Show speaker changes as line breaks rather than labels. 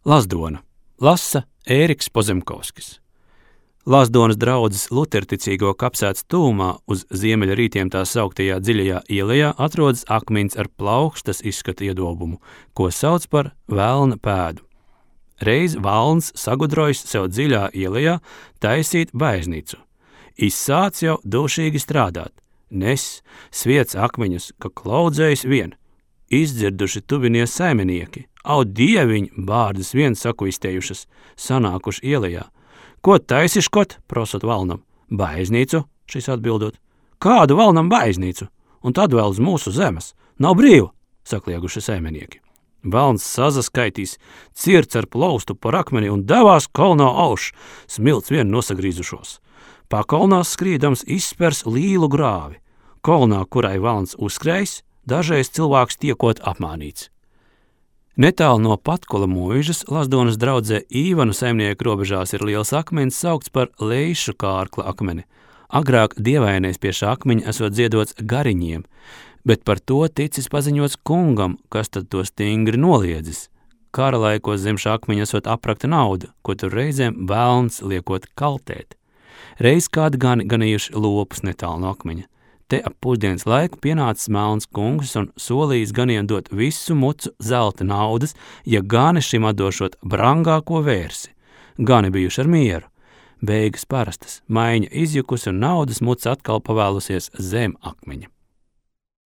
Lazdona. Lasa Ēriks Pozemkovskis. Lazdonas draudzes luterticīgo kapsētas tūmā uz ziemeļrītiem tā sauktajā dziļajā ielejā atrodas akmens ar plaukstas izskata iedobumu, ko sauc par velna pēdu. Reiz Valns sagudrojis sev dziļā ielejā taisīt baznīcu. Izsāc jau dušīgi strādāt, nes, sviec akmeņus, ka klaudzējis vien. Izdzirduši tuvinie saimnieki, au dieviņ bārdas vien sakuistējušas, sanākuši ielejā. Ko taisiškot, prosot Valnam? Baznīcu, šis atbildot. Kādu Valnam baznīcu? Un tad vēl uz mūsu zemes. Nav brīva, saklieguši saimnieki. Valns sazaskaitīs, cirts ar plaustu par akmeni un devās kolnā auš, smilts vien nosagrīzušos. Pakolnās skrīdams izspers līlu grāvi. Kolnā, kurai Valns uzskrējis, dažreiz cilvēks tiekot apmānīts. Netālu no Patkula mūžas Lazdonas draudzē Īvanu saimnieku robežās ir liels akmens saukts par Leišu kārkla akmeni. Agrāk dievainais pie šā akmeņa esot ziedots gariņiem, bet par to ticis paziņots kungam, kas tad to stingri noliedzis. Kara laikos zem šā akmeņa esot aprakta nauda, ko tur reizēm velns liekot kaltēt. Reiz kādi ganījuši lopus netālu no akmeņa. Te ap pusdienas laiku pienācis melns kungs un solījis ganiem dot visu mucu zelta naudas, ja gani šim atdošot brangāko vērsi. Gani bijuši ar mieru. Beigas parastas, maiņa izjukusi un naudas muca atkal pavēlusies zem akmeņa.